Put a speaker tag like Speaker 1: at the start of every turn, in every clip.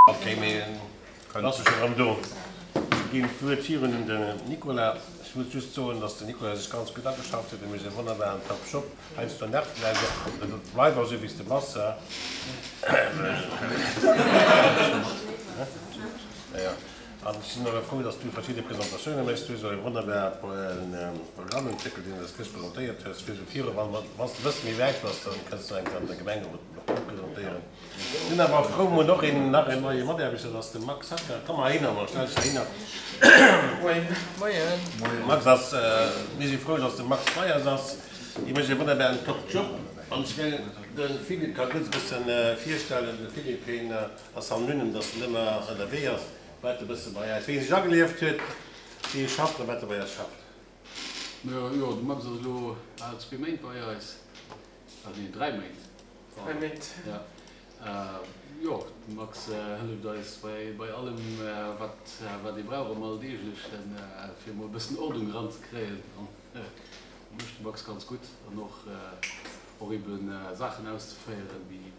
Speaker 1: Ok, mee bass du scho rëm do? Ech ginn d'Wuert virun un den Nicolas. Ech muss just soen, dass den Nicolas sech ganz gutt ageschafft huet. E mécht e wonnerbaren top Job. Heiansdo nervt en eis och. Bleif awer esou wéi s de bass. An ech sinn och frou, dass du verschidde Presentatioune méchs. Du hues och e wonnerbare Programm entwéckelt, deen s de eis gëscht presentéiert hues. Fir esou viru, wann s de e bësse méi wäit bass, dann kënns du eng Kéier an der Gemengerot och presentéieren. Sinn awer frou mol och een nach een neie Mataarbechter, dat ass de Max Hacker. Komm mol heihinner, Max, stell dech heihinner.
Speaker 2: Moien. Moien.
Speaker 1: Max ass, mir si frou, dass de Max bei eis ass. Hie mécht e wonnerbaren top Job. An ech mengen, de Philippe ka gutt e bëssen virstellen. De Philippe, hien ass anonym, dass en ëmmer ënnerwee ass, wat e bësse bei eis, wéi e sech agelieft huet, wéi e schafft a wat e bei eis schafft.
Speaker 3: Jo, de Max ass elo bal zwee Méint bei eis, ah nee, dräi Méint.
Speaker 2: Dräi Méint.
Speaker 3: Ja. Jo, de Max hëlleft eis bei allem, wat wat ee brauch am Alldeeglechen, fir emol e bëssen Ordnung eranzekréien. An dat mécht de Max ganz gutt. An och och ebe Saachen auszeféieren, wéi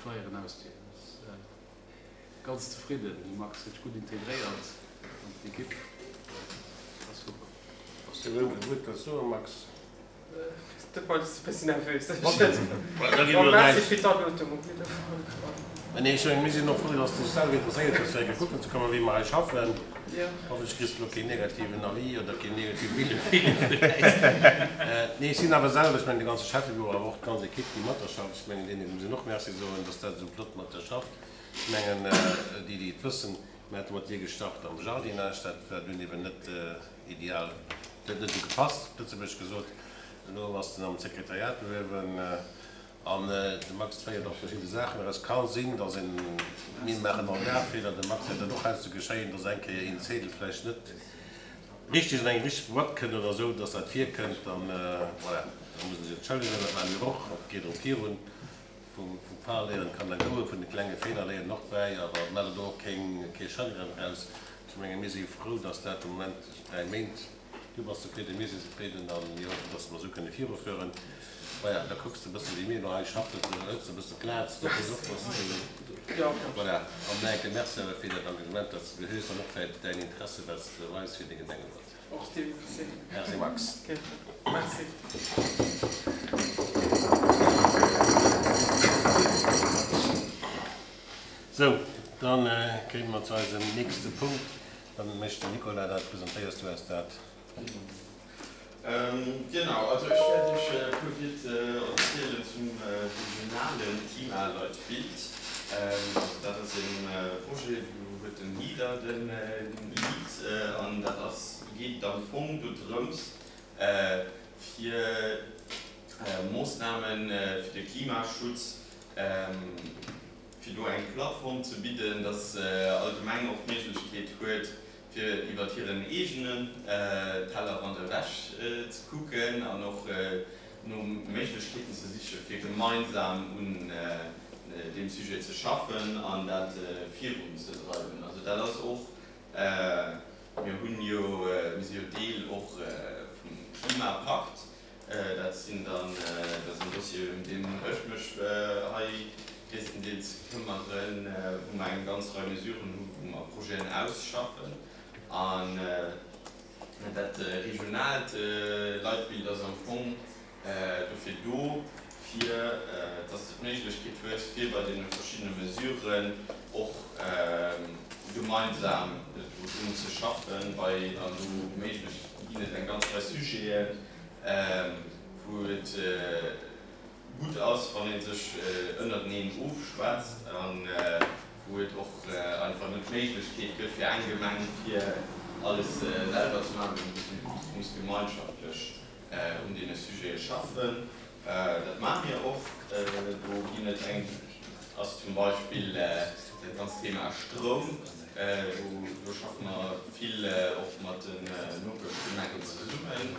Speaker 3: Flyeren ausdeelen. Ass ganz zefridden. De Max huet sech gutt integréiert an d'Ekipp. Ass super.
Speaker 1: Bass du erëm e Wuert dozou, Max? Mir sinn och frou, dass du dech selwer interesséiert hues, fir eng Kéier kucken ze kommen, wéi mer hei schaffen. Hoffentlech kriss du elo keen negativen Avis oder keen negative Wille vun äis. Nee, ech sinn awer selwer, ech mengen de ganze Schäffebüro, awer och d'ganz Ekipp, déi mat der schafft, ech mengen deene muss een och Merci soen, dass dat esou flott mat der schafft. Ech mengen, déi, déi et wëssen, mir hate mat dir gestart am Jardinage, dat war dunn eben net Ideal. Et huet net esou gepasst, op Lëtzebuergesch gesot. Elo ass en am Sekretariat uewen an de Max féiert och verschidde Saachen eraus. Ka sinn, datt een, mir maachen all Dag Feeler, dem Max wäert dat och heiansdo geschéien, datt eng Kéier een Zedel vläicht net richteg an eng richteg Boîte kënnt oder esou, datt dat virkënnt. Dann, voilà, da muss e sech entschëllegen. Dat maache mir och. Et geet erëm virun. Vum Fal léieren kann der goen, vun de klenge Feeler léieren och bäi, awer maacht der do och kee Chagrin draus. Ech menge mir si frou, dass dat de Moment 3 Méint, du bass zefridden, mir sinn zefridden a mir hoffen, dass mer esou kënne virufueren. Maja, da kucks de e bësse wéi mir elo hei schaffen, du hëls e bësse Plaz, do kucks och, dass du, voilà. An nach eng Kéier Merci awer fir dat Engagement, dat s de hues an och fir däin Interesse, wat s de weis fir de Gemengerot.
Speaker 2: Och dir merci.
Speaker 1: Merci Max.
Speaker 2: Merci.
Speaker 1: Sou, dann kéime mer zu eisem nächste Punkt. Dann mécht den Nicolas dat. Presentéiers du eis dat?
Speaker 4: Genau, also ech wäert Iech e puer Wiert erzielen zum regionale Klimaleitbild. Also dat ass e Projet, do huet den Leader de Lead an dat ass, geet am Fong dodrëms fir Moossname fir de Klimaschutz, fir do eng Plattform ze bidden, datt all Gemeng och d'Méiglechkeet huet, fir iwwert hiren eegenen Tellerrand ewech ze kucken an och no Méiglechkeeten ze sichen, fir gemeinsam un deem Sujet ze schaffen an dat virunzedreiwen. Also dat ass och, mir hunn jo, mir si jo Deel och vum Klimapakt, Dat sinn dann, dat ass en Dossier, ëm deen ech mech hei gréisstendeels këmmeren, wou mer eng ganz Rei Mesuren hu wou mer Projeten ausschaffen. An dat regionaalt Leitbild ass am Fong dofir do, fir dass de d'Méiglechkeet hues, fir bei deene verschiddene Mesuren och gemeinsam drun ze schaffen, bei an do méiglech ginn et eng ganz Rei Sujeten, wou et gutt ass, wann ee sech ënnerteneen ofschwätzt a wou et och einfach net d'Méiglechkeet gëtt fir eng Gemeng fir alles selwer ze maachen, mee wou muss gemeinschaftlech un deene Sujete schaffen. Dat maache mir och. Do ginn et eng, ass zum Beispill dat ganzt Thema Stroum. Do schaffe mer vill och mat den Nopeschgemengen zesummen,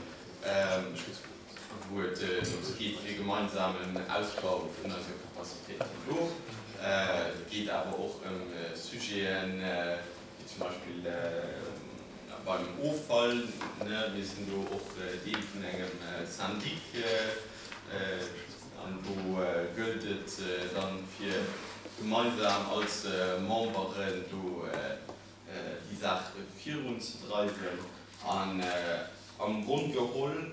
Speaker 4: wou et drëms geet fir e gemeinsamen Ausbau vun eise Capacitéiten do. Et geet awer och ëm Sujeten, wéi zum Beispill beim Offall. Mir sinn do och Deel vun engem Syndic an do gëllt et dann fir. gemeinsam als Memberen do déi Saach virunzedreiwen. An am Grond geholl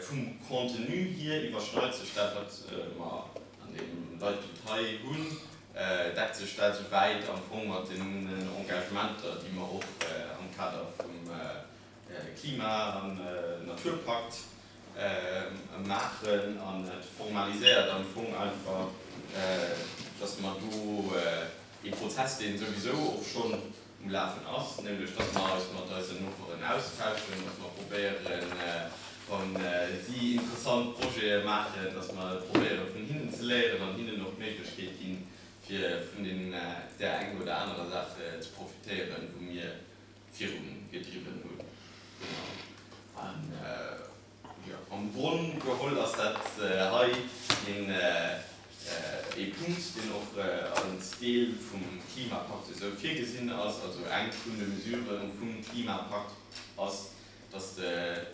Speaker 4: vum Contenu hier iwwerschneit sech dat, wat mer an deem Leitbild hei hunn, deckt sech dat esouwäit am Fong mat den Engagementer, déi mer och am Kader vum Klima an Naturpakt maachen. An et formaliséiert am Fong einfach, dass mer do ee Prozess, dee souwisou och schonn um Lafen ass, nämlech dass mer eis mat eisen Noperen austauschen, dass mer probéieren, wa si interessant Projete maachen, dass mer probéiere vun hinnen ze léieren an hinnen och d'Méiglechkeet ginn, fir vun där enger oder anerer Saach ze profitéieren, wou mir virun gedriwwen hunn. Genau. An jo, am Gronn geholl ass dat hei een ee Punkt, deen och als Deel vum Klimapakt esou virgesinn ass. Also eng vun de Mesurë vum Klimapakt ass, dass de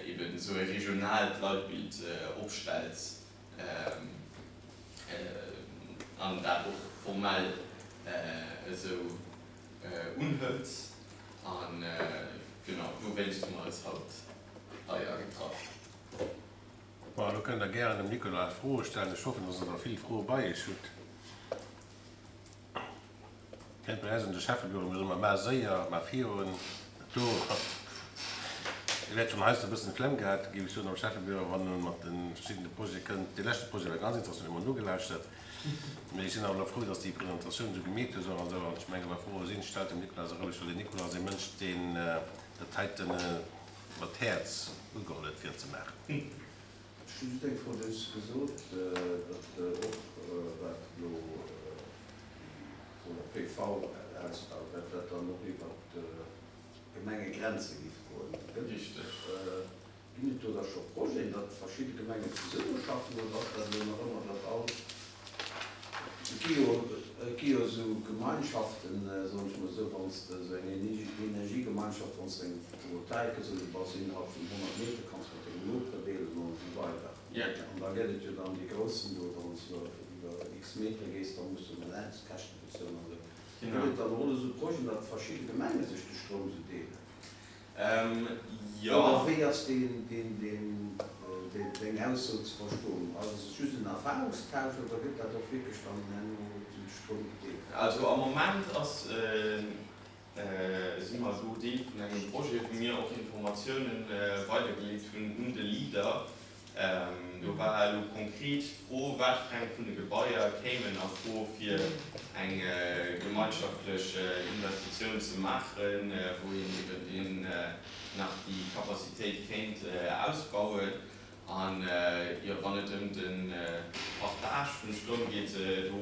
Speaker 4: eben esou e regionaalt Leitbild opstells an dat och formell esou unhëlt. An genau dowéinst hu mer eis haut hei agetraff.
Speaker 1: Bon, elo kënnt der gären dem Nicolas Froe stellen. Ech hoffen, dass der der vill Froe bei iech hutt. Kennt bei eis an de Schäffebüro, mir soe mar, Mar séier, mar virun. Do, Dir wäert schonn heiansdo e bëssen d'Flemm gehat, géif ech soen, am Schäffebüro, wann e mat de verschiddene Projete kënnt. Dee leschte Projet war ganz interessant, hu mer nogelauschtert. Mee ech sinn awer elo frou, dass déi Presentatioun esou gemeet hues och an esou. An ech menge wa Froe sinn, stellt dem Nicolas se roueg, well den Nicolas ass ee Mënsch, deen dat heiten mat Häerz ugeholl huet fir et ze maachen.
Speaker 5: Ech hu just eng Fro, Du hues gesot, datt och wat elo déi Solar PV-Ausbau, datt dat dann och iwwert d'Gemengegrenze géif goen. Ginn et do da scho Projeten, datt verschidde Gemengen zesummeschaffen oder ass dat elo nach ëmmer, datt all, et gi jo, et gi jo esou Gemeinschaften, soen ech mol esou, wann s de esou eng Energiegemeinschaft, wann s de eng Photovoltaik hues oder bass innerhalb vun 100 Meter, kanns mat dengem Noper deelen an esou weider. An da gëtt et jo dann déi groussen do, wann s de iwwer x Meter gees, da muss de Netzkäschte bezuelen an esou. Gëtt et dann och esou Projeten, datt verschidde Gemenge sech de Stroum esou deelen?
Speaker 4: Jo.
Speaker 5: Oder wéi ass deng Ausso ze verstoen? Ass et just en Erfahrungstausch oder gëtt dat och wierklech dann herno den Stroum gedeelt?
Speaker 4: Also am Moment ass, si mer do Deel vun engem Projet, wou mir och Informatiounen weidergeleet hunn un de Leader. Do war elo konkret d'Fro, wat fir eng vun de Gebaier kéimen a Fro fir eng gemeinschaftlech Investitioun ze maachen, wou een eben deen nach déi Capacitéit kéint ausbauen. An jo, wann et ëm de Partage vum Stroum geet, do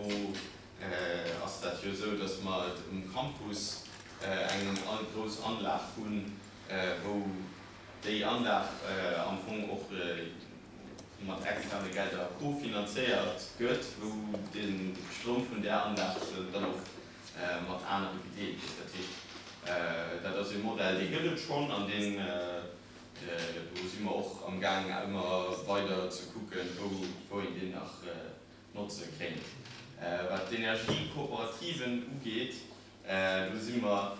Speaker 4: ass dat jo esou, datt mer et um Campus eng grouss Anlag hunn, wou déi Anlag am Fong och mat externe Gelder cofinanzéiert gëtt, wou de Stroum vun där Anlag dann och mat anere gedeelt gëtt. Dat heescht, dat ass e Modell, dee gëtt et schonn an deen, do si mer och amgaang ëmmer weider ze kucken, wou een deen nach notze kéint. Wat d'Energiekooperativen ugeet, Do si mer,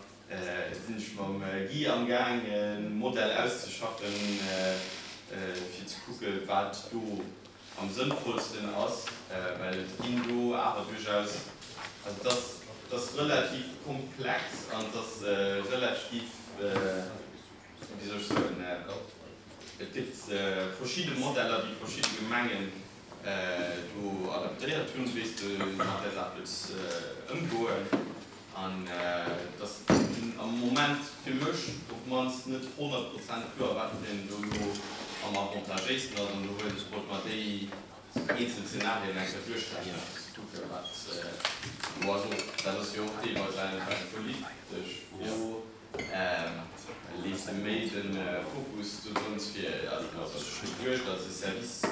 Speaker 4: sinn ech mam Guy amgaang e Modell auszeschaffen, fir ze kucke wat do am sënnvollsten ass, well et ginn do awer duerchaus, also et ass, et ass relativ komplex an et ass relativ, wéi soll ech soen, et gëtt verschidde Modeller, déi verschidde Gemengen do adaptéiert hunn, wéi s de mat där Saach wëlls ëmgoen. An et ass am Moment fir mech op d'mannst net 100 Prozent kloer, wat fir een do elo am avantagéisten ass. An do wëilt ech, wollt mer déi eenzel Zenarien eng Kéier duerchrechnen, fir ze kucken, wat do ass. Och dat ass jo och deelweis einfach eng politesch Fro. Lees de méi de Fokus dodrëms fir, also ass et geduecht als e Service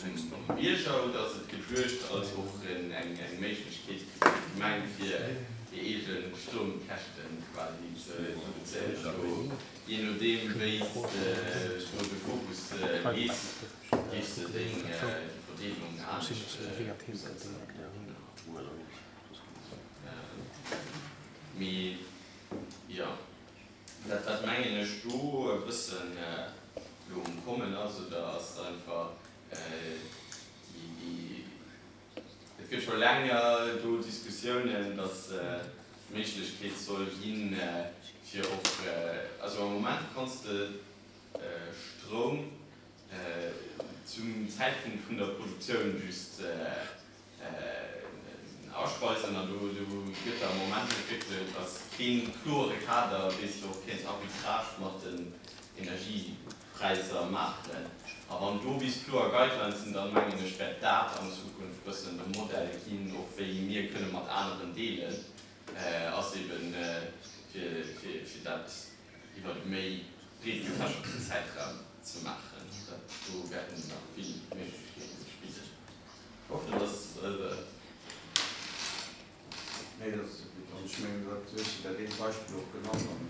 Speaker 4: um Bierger oder ass et geduecht als och eng Méiglechkeet fir d'Gemeng fir hir eege Stroumkäschten quasi ze reduzéieren? Do, jee nodeem wéi s de do de Fokus lees, géifs de deng Verdeelung anescht usetzen. Mee jo, dat wat mengen ech do e bëssen elo um Kommen ass, oder ass einfach déi, et gëtt scho länger do Diskussiounen, datt d'Méiglechkeet soll ginn, fir och, also am Moment kanns de Stroum zum Zäitpunkt vun der Produktioun just aspeisen an do gëtt am Moment entwéckelt, ass kee klore Kader, wéi s de och kéints Arbitrage mat den Energiepräisser maachen. A wann do bis kloer Guidelines sinn, dann mengen ech, wäert dat an Zukunft bëssen de Modell ginn, och wéi mir kënne mat aneren deelen, ass eben fir dat iwwer e méi breet gefächerten Zäitraum ze maachen. Dat do wäerten nach vill Méiglechkeete sech bidden. Ech hoffen, dass.
Speaker 5: Nee, dat ass gutt. An ech mengen, dat hues de dat eent Beispill och genannt an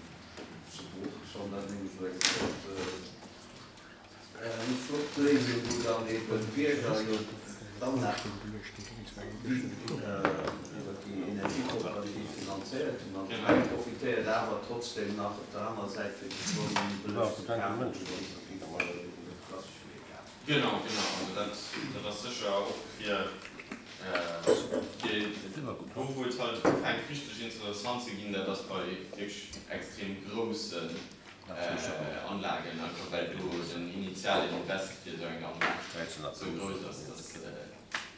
Speaker 5: zu Bruch. Ech fannen dat nämlech esou eng flott, eng flott Léisung, wou dann eeben d'Bierger jo dann nach iwwer déi Energiekooperativ finanzéiert hunn an d'Gemeng profitéiert awer trotzdem nach op der anerer Säit fir de Stroum méi bëlleg ze kafen, wéi wann se iwwer de klassesche Wee kafen.
Speaker 4: Genau, genau. Also dat, dat ass sécher och fir, fir do wou et halt ufänkt richteg interessant ze ginn, dat ass bei wierklech extrem groussen Anlagen, einfach well do den initialen Invest fir esou eng Anlag esou grouss ass, dass,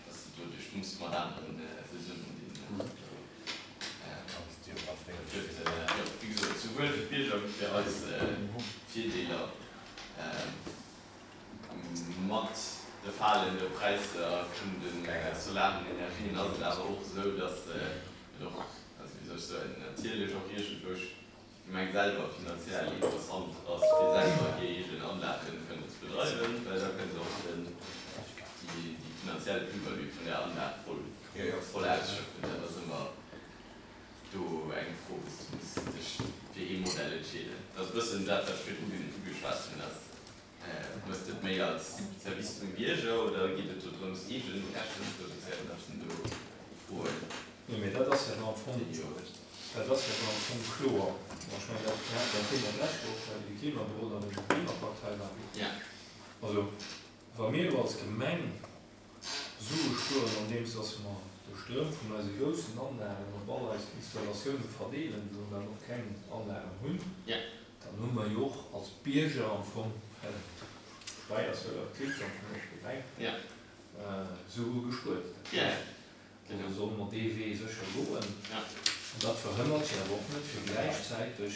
Speaker 4: dass de do dech muss mat aneren zesummen dinn. Et gëtt, jo, wéi gesot, souwuel fir d'Bierger wéi fir eis Virdeeler. Mat de falende Präisser vun de solaren Energien ass et awer och esou, datt et och, also wéi soll ech soen, natierlech och iergendwou d'Gemeng selwer finanziell interessant ass, fir selwer hir eegen Anlagen kënnen ze bedreiwen, well da kënne se och den, déi finanziell Plus-value vun där Anlag voll, voll ausschöpfen. Dat ass ëmmer do eng Fro, wou s de muss dech fir ee Modell entscheeden. Dat ass e bëssen dat, wat ech virdru ugeschwat hunn, dass Hues de et méi als Service zum Bierger oder geet et do drëms eegen Käschten ze reduzéieren? Dat sinn do Froen,
Speaker 6: Nee, mee dat ass jo am Fong,
Speaker 4: déi jo.
Speaker 6: dat ass jo am Fong kloer. Bon, ech mengen, dat mir haten dat Thema d'lescht Woch, well de Klimaberoder an ech um Klimapartei waren. Also, wa mir elo als Gemeng Sue spueren, andeems dass mer de Stroum vun eise groussen Anlagen op all eis Installatioune verdeelen, wou mer och keng Anlagen hunn, dann hu mer jo och als Bierger am Fong, well d'Steier ass jo och d'Klitt am Fong och d'Gemeng, Sue gespuert. Dat heescht, do solle mer dee Wee sécher goen. An dat verhënnert jo awer och net, fir gläichzäiteg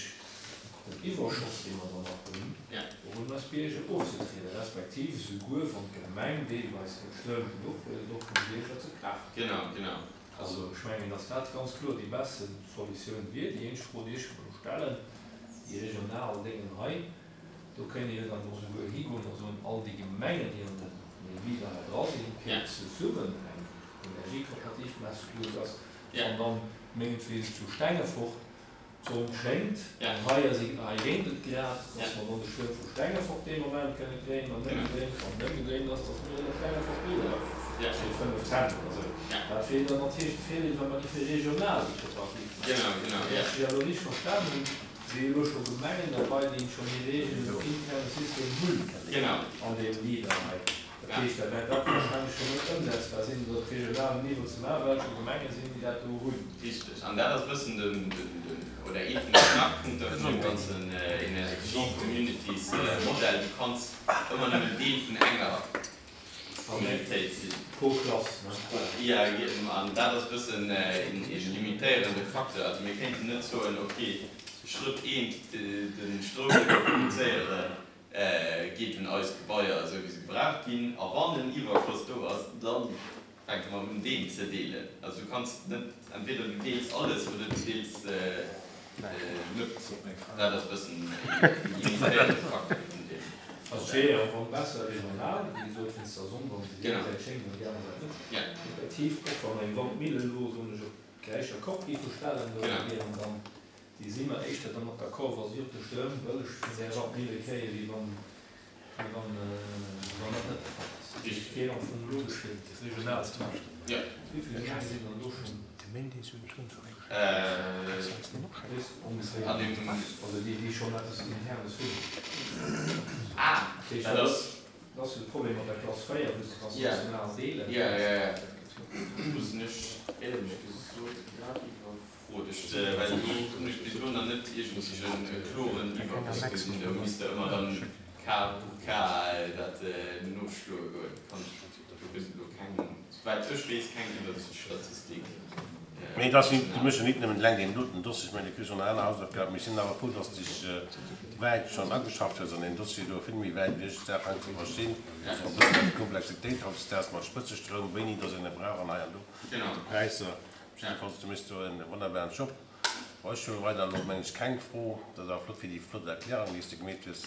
Speaker 6: den Iwwerschoss, dee mer dann nach hunn, och un eis Bierger ofzetrieden, respektiv esouguer wann d'Gemeng deelweis den Stroum genuch huet, et och vum Bierger ze kafen.
Speaker 4: Genau, genau.
Speaker 6: Also ech mengen, datt dat ganz kloer déi beste Solutioun wier. Déi eenzeg Fro, déi ech mer elo stellen, déi regional Déngen hei, do kéint ee jo dann och esouguer higoen a soen, all déi Gemengen, déi an deem Leader hei dra sinn, kéint zesummen eng Energiekooperativ maachen, esouguer datt Wann dann mengetwegen zu Stengefort d'Sonn schéngt an hei ass hei reent et grad, dass mer dann de Stroum vu Stengefort dee Moment kënne kréien an ëmgedréint, wann et ëmgedréint ass, dass mir en op Stengefort liwweren fir 5 Cent oder sou. Dat wier dann natierlech de Virdeel, wa mer géife regional déi Kooperativ maachen. Wann ech dech elo richteg verstan hunn, si elo scho Gemengen derbei, déi schonn hir eegenen interne System hunn an deem Leader hei. Dat heescht, da wäert dat wahrscheinlech scho net ëmsetzbar sinn, dat op regionalem Niveau ze maachen, well et scho Gemenge sinn, déi dat do hunn.
Speaker 4: Richteg. An dat ass e bëssen den, oder ee vun de Knackpunkter vun deem ganzen Energie-Communities-Modell. Du kanns ëmmer nëmmen Deel vun enger Communautéit sinn.
Speaker 6: Pro Klass, ne?
Speaker 4: Jo, an dat ass e bëssen een limitéierende Facteur. Also mir kéinten net soen, okay, Schrëtt eent, de Stroum, dee mer produzéieren, geet un eis Gebaier esou wéi se gebraucht ginn, a wann en Iwwerschoss do ass, da fänke mer un deen ze deelen. Also du kanns net, entweder du deels alles oder du deels net. Dat ass e bëssen e limitéierende Facteur vun deem.
Speaker 6: Also et wier jo am Fong besser regional, wéi gesot, wéinst der Sonn, wann se déi eng Säit schéngt an déi aner Säit net. Effektiv, och wann eng Wandmille elo, soen ech, op d'Gräicher Kopp géife stellen, do wieren dann Déi si mer éischter dermat d'accord, wa si och de Stroum bëlleg vun där Wandmille kréien, wéi wann. Mee wann dat net de Fall ass, et wier am Fong logesch fir et regional ze maachen. Wéi vill Gemenge sinn dann do schonn? Weess ongeféier, also déi, déi schonn eppes Internes hunn. Dat heescht, dat ass jo de Problem mat der Klass 4, wou s de kanns national deelen.
Speaker 4: Frot ech se, well do hunn ech bis elo nach net iergendwéi e kloren Iwwerbléck gesinn. Do misst Der ëmmer dann Cas pour cas dat noschloe goen. Kann ech do bis elo keng, souwäit ech weess, keng Iwwersiichtsstatistik.
Speaker 1: Mee et ass nit, du méchs jo nit nëmmen eleng deen doten Dossier, ech mengen, du kriss och nach aner Hausaufgaben. Mee ech sinn awer frou, dass de dech wäit schonn ageschafft hues an deen Dossier do, vill méi wäit wéi ech d'Saach hei ze verstinn, och e bëssen ëm d'Komplexitéit hautdesdaags mat Spëtzestroum, wéini dass een e brauch an hei an do, mat de Präisser. Jiddefalls, du méchs do en wonnerbaren Job. Bon, ech hu weider elo, mengen ech, keng Fro. Dat ass awer flott fir déi flott Erklärung, déi s de gemeet hues.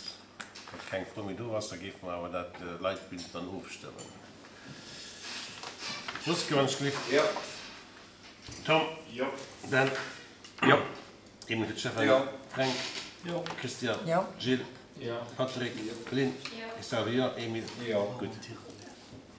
Speaker 1: Wann keng Fro méi do ass, da géife mer awer dat Leitbild dann ofstëmmen. Josque, wann ech gelift.
Speaker 5: Jo.
Speaker 1: Tom.
Speaker 5: Jo.
Speaker 1: Dan.
Speaker 5: Jo.
Speaker 1: Emil fir d'Stéphanie.
Speaker 5: Jo.
Speaker 1: Fränk.
Speaker 6: Jo.
Speaker 1: Christian.
Speaker 7: Jo.
Speaker 1: Gilles.
Speaker 6: Jo.
Speaker 1: Patrick. Lynn.
Speaker 7: Jo.
Speaker 1: Ech selwer jo. Emil.
Speaker 5: Jo.
Speaker 1: Gutt.